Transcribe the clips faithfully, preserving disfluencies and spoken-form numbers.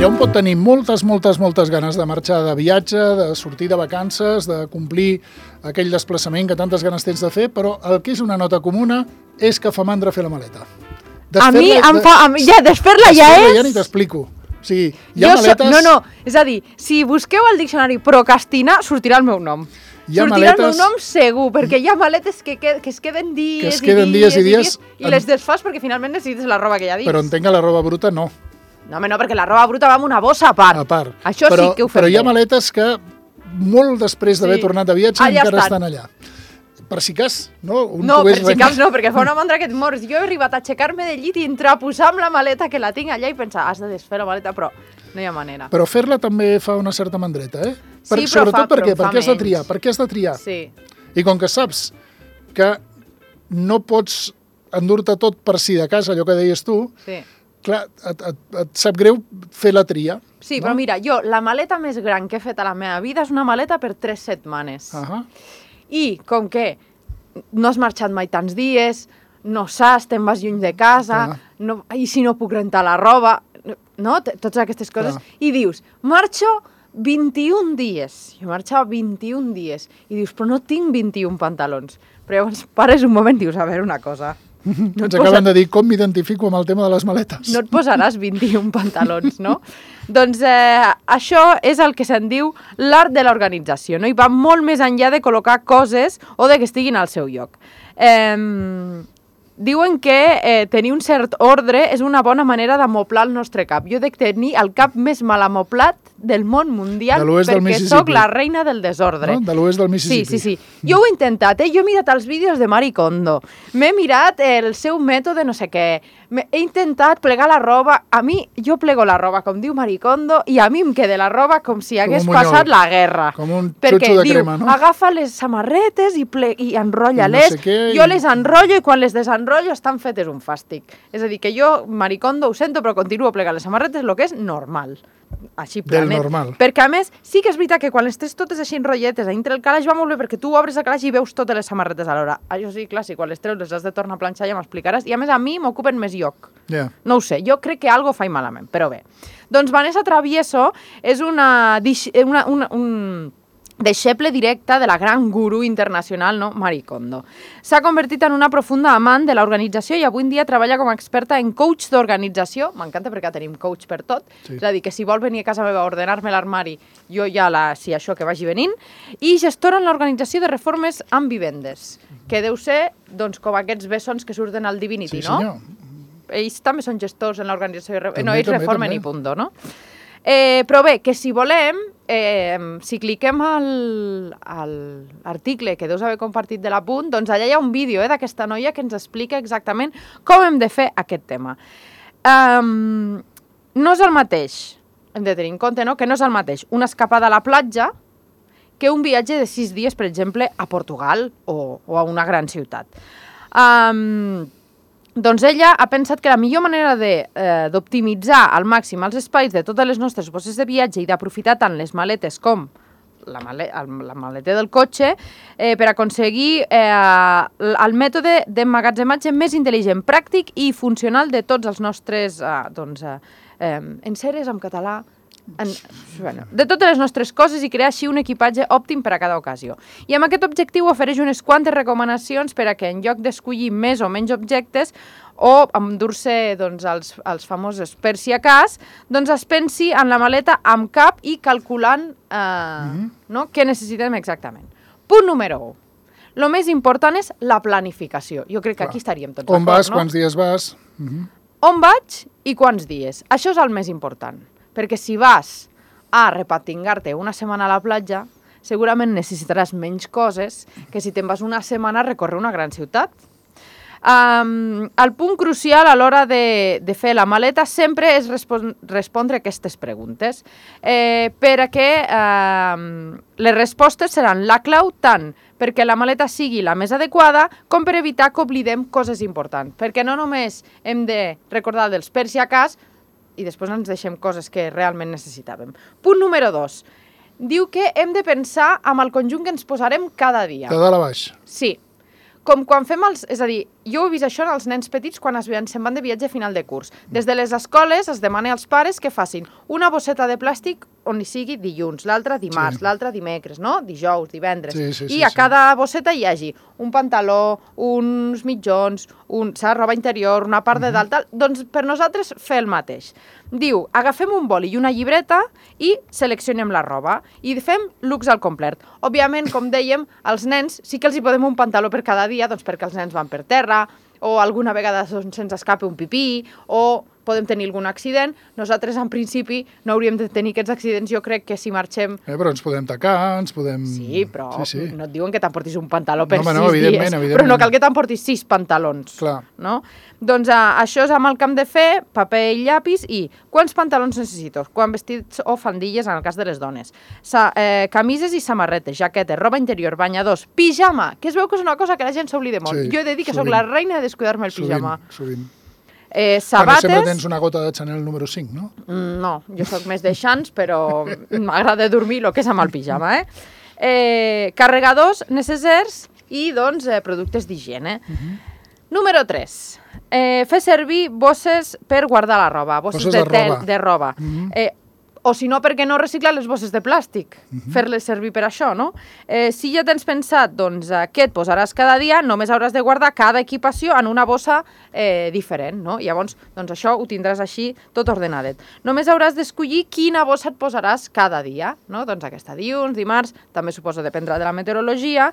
Mira, un pot tenir moltes, moltes, moltes ganes de marxar de viatge, de sortir de vacances, de complir aquell desplaçament que tantes ganes tens de fer, però el que és una nota comuna és que fa mandra fer la maleta. A mi em fa... Ja, desfer-la ja és... Desfer-la ja ni t'explico. O sigui, hi ha maletes... No, no, és a dir, si busqueu al diccionari procrastinar, sortirà el meu nom. Sortirà el meu nom segur, perquè hi ha maletes que, que, que es queden dies, que es queden i, dies, dies i dies i dies i les desfas perquè finalment necessites la roba que hi ha dins. Però entenc que la roba bruta no. No, home, no, perquè la roba bruta va en una bossa a part. A part. Això però, sí que ho fem Però hi ha bé. maletes que molt després d'haver Sí. tornat de viatge Allà encara estan. estan allà. Per si cas, no? Un No, per pogués si rem- cas no, perquè fa una mandra que et mors. Jo he arribat a aixecar-me del llit i entrar a posar amb la maleta que la tinc allà i pensar, has de desfer la maleta, però no hi ha manera. Però fer-la també fa una certa mandreta, eh? Sí, però sobretot fa- perquè, però fa perquè has de menys. triar, perquè has de triar. Sí. I com que saps que no pots endur-te tot per si de casa, allò que deies tu, Sí. clar, et, et, et sap greu fer la tria. Sí, no? però mira, jo, la maleta més gran que he fet a la meva vida és una maleta per tres setmanes. Uh-huh. I com que no has marxat mai tants dies, no saps, te'n vas lluny de casa, Clar. no, i si no puc rentar la roba, no? T- Totes aquestes coses. Clar. I dius, marxo vint-i-un dies. Jo marxava vint-i-un dies. I dius, però no tinc vint-i-un pantalons. Però llavors pares un moment i dius, a veure una cosa. No Ens acaben de dir com m'identifico amb el tema de les maletes. No et posaràs vint-i-un pantalons, no? Doncs eh, això és el que se'n diu l'art de l'organització, no? I va molt més enllà de col·locar coses o de que estiguin al seu lloc. Eh, diuen que eh, tenir un cert ordre és una bona manera d'amoplar el nostre cap. Jo dec tenir el cap més mal amoplat del món mundial De l'oest del perquè Mississippi. sóc la reina del desordre. No? De l'oest del Sí, Mississippi. sí, sí. Jo ho he intentat, eh? Jo he mirat els vídeos de Marie Kondo. M'he mirat el seu mètode no sé què. M'he- He intentat plegar la roba. A mi, jo plego la roba, com diu Marie Kondo, i a mi em queda la roba com si hagués un munyol. passat la guerra. Com un Perquè xutxo de diu, crema, no? agafa les samarretes i, ple i enrotlla-les. I no sé què, jo i- les enrotllo i quan les desenrotllo estan fetes un fàstic. És a dir, que jo, Marie Kondo, ho sento, però continuo plegant les samarretes, el que és normal. Així Del planet. normal. Perquè, a més, sí que és veritat que quan les tens totes així enrotlletes a dintre el calaix va molt bé perquè tu obres el calaix i veus totes les samarretes alhora. Això sí, clar, si quan les treus les has de tornar a planxar ja m'explicaràs. I a més a mi m'ocupen més lloc. Yeah. No ho sé, jo crec que algo faig malament, però bé. Doncs Vanessa Travieso és una, dix- una, una, un deixeble directe de la gran gurú internacional, no? Marie Kondo. S'ha convertit en una profunda amant de l'organització i avui en dia treballa com a experta en coach d'organització. M'encanta perquè tenim coach per tot. Sí. És a dir, que si vol venir a casa meva a ordenar-me l'armari, jo ja la... si això que vagi venint. I gestora en l'organització de reformes amb vivendes, que deu ser, doncs, com aquests bessons que surten al Divinity, Sí, no? senyor. Ells també són gestors en l'organització. de re- També, no, ells també, reformen també. i punto, no? Eh, però bé, que si volem, eh, si cliquem al, al article que deus haver compartit de l'apunt, doncs allà hi ha un vídeo eh, d'aquesta noia que ens explica exactament com hem de fer aquest tema. Um, no és el mateix, hem de tenir en compte, no?, que no és el mateix una escapada a la platja que un viatge de sis dies, per exemple, a Portugal o, o a una gran ciutat. Um, doncs ella ha pensat que la millor manera de, eh, d'optimitzar al màxim els espais de totes les nostres bosses de viatge i d'aprofitar tant les maletes com la, male, el, la maleta del cotxe eh, per aconseguir eh, el mètode d'emmagatzematge més intel·ligent, pràctic i funcional de tots els nostres eh, doncs, eh, eh, enseres en català, en, bueno, de totes les nostres coses i crear així un equipatge òptim per a cada ocasió. I amb aquest objectiu ofereix unes quantes recomanacions per a que en lloc d'escollir més o menys objectes o endur-se doncs, els, els famosos per si a cas, doncs es pensi en la maleta amb cap i calculant eh, mm-hmm. no, què necessitem exactament. Punt número u. El més important és la planificació. Jo crec que Clar. aquí estaríem tots On d'acord, vas, no? quants dies vas... Uh-huh. On vaig i quants dies. Això és el més important. Perquè si vas a repatingar-te una setmana a la platja, segurament necessitaràs menys coses que si te'n vas una setmana a recórrer una gran ciutat. Um, el punt crucial a l'hora de, de fer la maleta sempre és respon respondre aquestes preguntes, eh, per a que eh, les respostes seran la clau tant perquè la maleta sigui la més adequada com per evitar que oblidem coses importants. Perquè no només hem de recordar dels per si a cas i després ens deixem coses que realment necessitàvem. Punt número dos. Diu que hem de pensar amb el conjunt que ens posarem cada dia. De dalt a baix. Sí. com quan fem els... És a dir, jo he vist això en els nens petits quan es veien, se'n van de viatge a final de curs. Des de les escoles es demana als pares que facin una bosseta de plàstic on hi sigui dilluns, l'altra dimarts, sí. l'altra dimecres, no? Dijous, divendres. Sí, sí, sí, I a sí. cada bosseta hi hagi un pantaló, uns mitjons, un, roba interior, una part de dalt, tal. Doncs per nosaltres fer el mateix. Diu, agafem un boli i una llibreta i seleccionem la roba i fem looks al complet. Òbviament, com dèiem, als nens sí que els hi podem un pantaló per cada dia, doncs perquè els nens van per terra, o alguna vegada se'ns escapa un pipí, o podem tenir algun accident. Nosaltres, en principi, no hauríem de tenir aquests accidents. Jo crec que si marxem... Eh, però ens podem tacar, ens podem... Sí, però sí, sí. no et diuen que t'emportis un pantaló per no, sis no, evidentment, dies. Evidentment. Però no cal que t'emportis sis pantalons. Clar. No? Doncs uh, això és amb el que hem de fer, paper i llapis, i quants pantalons necessito? Quan vestits o faldilles, en el cas de les dones. Sa, eh, camises i samarretes, jaquetes, roba interior, banyadors, pijama, que es veu que és una cosa que la gent s'oblida molt. Sí, jo he de dir que sovint. sóc la reina de descuidar-me el pijama. Sovint, sovint. Eh, sabates... Bueno, sempre tens una gota de Chanel número cinc, no? Mm, no, jo sóc més de xans, però m'agrada dormir el que és amb el pijama, eh? eh carregadors necessaris i, doncs, eh, productes d'higiene. Uh -huh. Número tres. Eh, fer servir bosses per guardar la roba, bosses, bosses de, de tel, roba. de roba. Uh -huh. eh, o si no, per què no reciclar les bosses de plàstic? Uh -huh. Fer-les servir per això, no? Eh, si ja tens pensat doncs, eh, què et posaràs cada dia, només hauràs de guardar cada equipació en una bossa eh, diferent, no? Llavors, doncs això ho tindràs així tot ordenadet. Només hauràs d'escollir quina bossa et posaràs cada dia, no? Doncs aquesta dilluns, dimarts, també suposo dependrà de la meteorologia,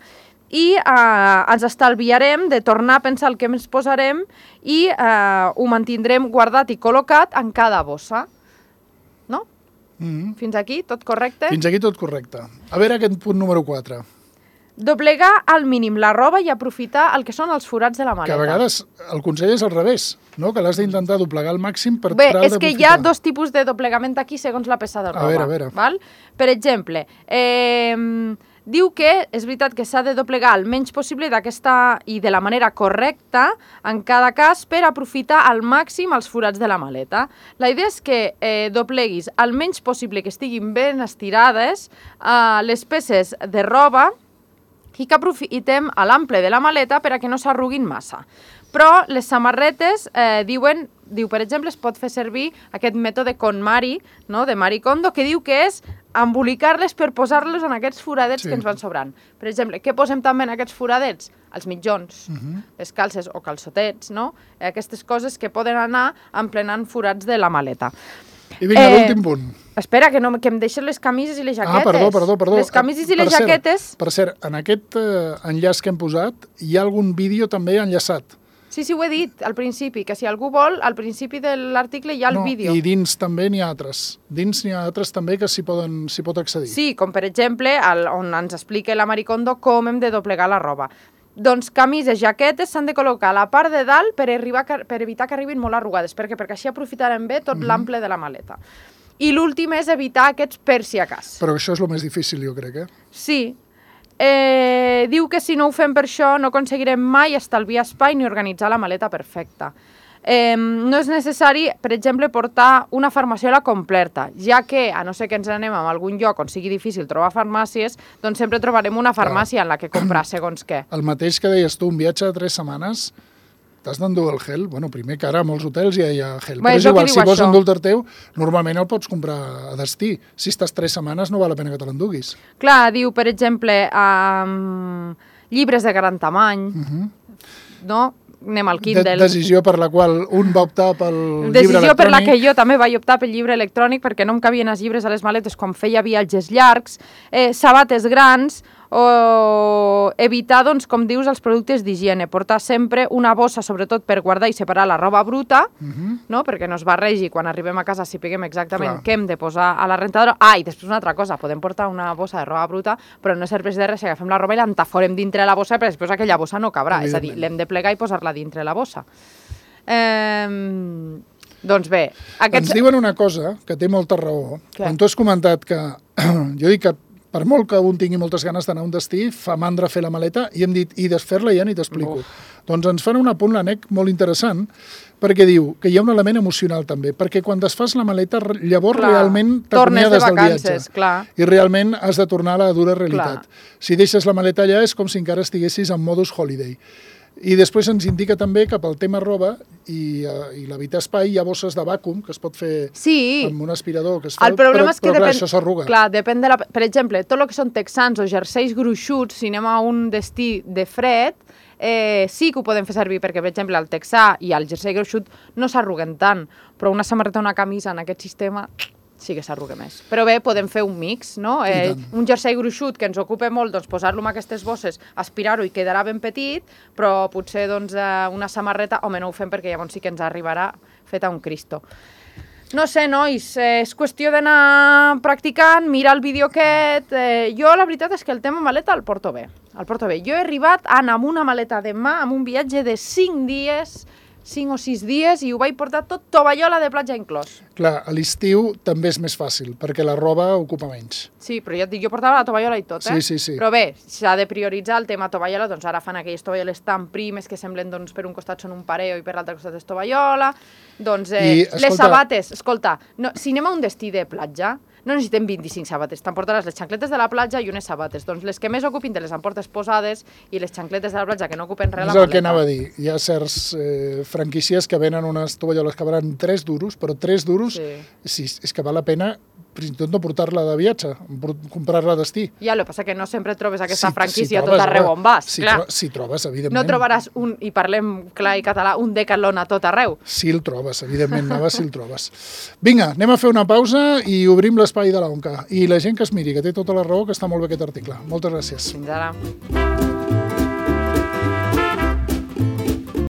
i eh, ens estalviarem de tornar a pensar el que ens posarem i eh, ho mantindrem guardat i col·locat en cada bossa. No? Mm-hmm. Fins aquí, tot correcte? Fins aquí tot correcte. A veure aquest punt número quatre. Doblegar al mínim la roba i aprofitar el que són els forats de la maleta. Que a vegades el consell és al revés, no? Que l'has d'intentar doblegar al màxim per Bé, tal és que hi ha d'aprofitar. dos tipus de doblegament aquí segons la peça de roba. A veure, a veure. Val? Per exemple, eh, diu que és veritat que s'ha de doblegar el menys possible d'aquesta i de la manera correcta en cada cas per aprofitar al màxim els forats de la maleta. La idea és que eh, dobleguis el menys possible, que estiguin ben estirades eh, les peces de roba i que aprofitem a l'ample de la maleta per a que no s'arruguin massa. Però les samarretes eh, diuen, diu, per exemple, es pot fer servir aquest mètode KonMari, no?, de Marie Kondo, que diu que és embolicar-les per posar-les en aquests foradets sí. que ens van sobrant. Per exemple, què posem també en aquests foradets? Els mitjons, uh-huh. les calces o calçotets, no? Aquestes coses que poden anar emplenant forats de la maleta. I vinga, eh, l'últim punt. Espera, que, no, que em deixen les camises i les jaquetes. Ah, perdó, perdó, perdó. Les camises i per les cert, jaquetes... Per cert, en aquest eh, enllaç que hem posat hi ha algun vídeo també enllaçat. Sí, sí, ho he dit al principi, que si algú vol, al principi de l'article hi ha el no, vídeo. I dins també n'hi ha altres. Dins n'hi ha altres també que s'hi poden s'hi pot accedir. Sí, com per exemple, el, on ens explica la Marie Kondo com hem de doblegar la roba. Doncs camises, jaquetes s'han de col·locar a la part de dalt per, arribar, per evitar que arribin molt arrugades. Per què? Perquè així aprofitarem bé tot mm-hmm. l'ample de la maleta. I l'últim és evitar aquests per si a cas. Però això és el més difícil, jo crec, eh? Sí. Eh, diu que si no ho fem per això no aconseguirem mai estalviar espai ni organitzar la maleta perfecta. Eh, no és necessari, per exemple, portar una farmaciola completa, ja que, a no ser que ens anem a algun lloc on sigui difícil trobar farmàcies, doncs sempre trobarem una farmàcia en la que comprar segons què. El mateix que deies tu, un viatge de tres setmanes, t'has d'endur el gel. Bueno, primer que ara a molts hotels ja hi ha gel. Bé, però és igual, si vols això. endur-te teu, normalment el pots comprar a destí. Si estàs tres setmanes no val la pena que te l'enduguis. Clar, diu, per exemple, um, llibres de gran tamany, uh-huh. no? Anem al Kindle. De decisió per la qual un va optar pel decisió llibre electrònic. per la que jo també vaig optar pel llibre electrònic perquè no em cabien els llibres a les maletes quan feia viatges llargs, eh, sabates grans, o evitar, doncs, com dius, els productes d'higiene, portar sempre una bossa, sobretot per guardar i separar la roba bruta, uh-huh. no? Perquè no es barregi quan arribem a casa, sapiguem exactament Clar. què hem de posar a la rentadora. Ah, i després una altra cosa, podem portar una bossa de roba bruta, però no serveix de res si agafem la roba i l'entaforem dintre la bossa, perquè després aquella bossa no cabrà, és a dir, l'hem de plegar i posar-la dintre la bossa. Eh, doncs bé... Aquests... Ens diuen una cosa que té molta raó. Què? Quan tu has comentat que... jo dic que per molt que un tingui moltes ganes d'anar a un destí, fa mandra fer la maleta, i hem dit, i desfer-la ja ni t'explico. Doncs ens fan un apunt, l'Anec, molt interessant, perquè diu que hi ha un element emocional també, perquè quan desfas la maleta, llavors clar, realment t'acomiades del viatge. Clar. I realment has de tornar a la dura realitat. Clar. Si deixes la maleta allà és com si encara estiguessis en modus holiday. I després ens indica també que pel tema roba i, uh, i l'evitar espai hi ha bosses de vàcuum que es pot fer sí. amb un aspirador que es fa, el problema però, és que però clar, depèn, això s'arruga. Clar, depèn de la... Per exemple, tot el que són texans o jerseis gruixuts, si anem a un destí de fred, eh, sí que ho podem fer servir perquè, per exemple, el texà i el jersei gruixut no s'arruguen tant, però una samarreta o una camisa en aquest sistema sí que s'arruga més. Però bé, podem fer un mix, no? Eh, un jersei gruixut que ens ocupa molt, doncs posar-lo en aquestes bosses, aspirar-ho i quedarà ben petit, però potser doncs, una samarreta, home, no ho fem perquè llavors sí que ens arribarà feta un Cristo. No sé, nois, eh, és qüestió d'anar practicant, mirar el vídeo aquest. Eh, jo la veritat és que el tema maleta el porto bé. El porto bé. Jo he arribat a anar amb una maleta de mà, amb un viatge de cinc dies, cinc o sis dies, i ho vaig portar tot tovallola de platja inclòs. Clar, a l'estiu també és més fàcil, perquè la roba ocupa menys. Sí, però ja et dic, jo portava la tovallola i tot, eh? Sí, sí, sí. Però bé, s'ha de prioritzar el tema tovallola, doncs ara fan aquelles tovalloles tan primes que semblen, doncs, per un costat són un pareo i per l'altre costat és tovallola. Doncs, eh, I, escolta... les sabates, escolta, no, si anem a un destí de platja, no necessitem vint-i-cinc sabates, t'emportaràs les xancletes de la platja i unes sabates. Doncs les que més ocupin te les emportes posades i les xancletes de la platja que no ocupen res a la maleta. És el que anava a dir. Hi ha certs eh, franquícies que venen unes tovalloles que valen tres duros, però tres duros sí. Sí, és que val la pena fins i tot no portar-la de viatge, comprar-la a destí. Ja, el que passa que no sempre trobes aquesta si, franquícia si trobes, tot arreu on vas. Si, clar. Tro si trobes, evidentment. No trobaràs un, i parlem clar i català, un Decathlon a tot arreu. Si el trobes, evidentment, Nava, si el trobes. Vinga, anem a fer una pausa i obrim l'espai de l'Onca. I la gent que es miri, que té tota la raó, que està molt bé aquest article. Moltes gràcies. Fins ara.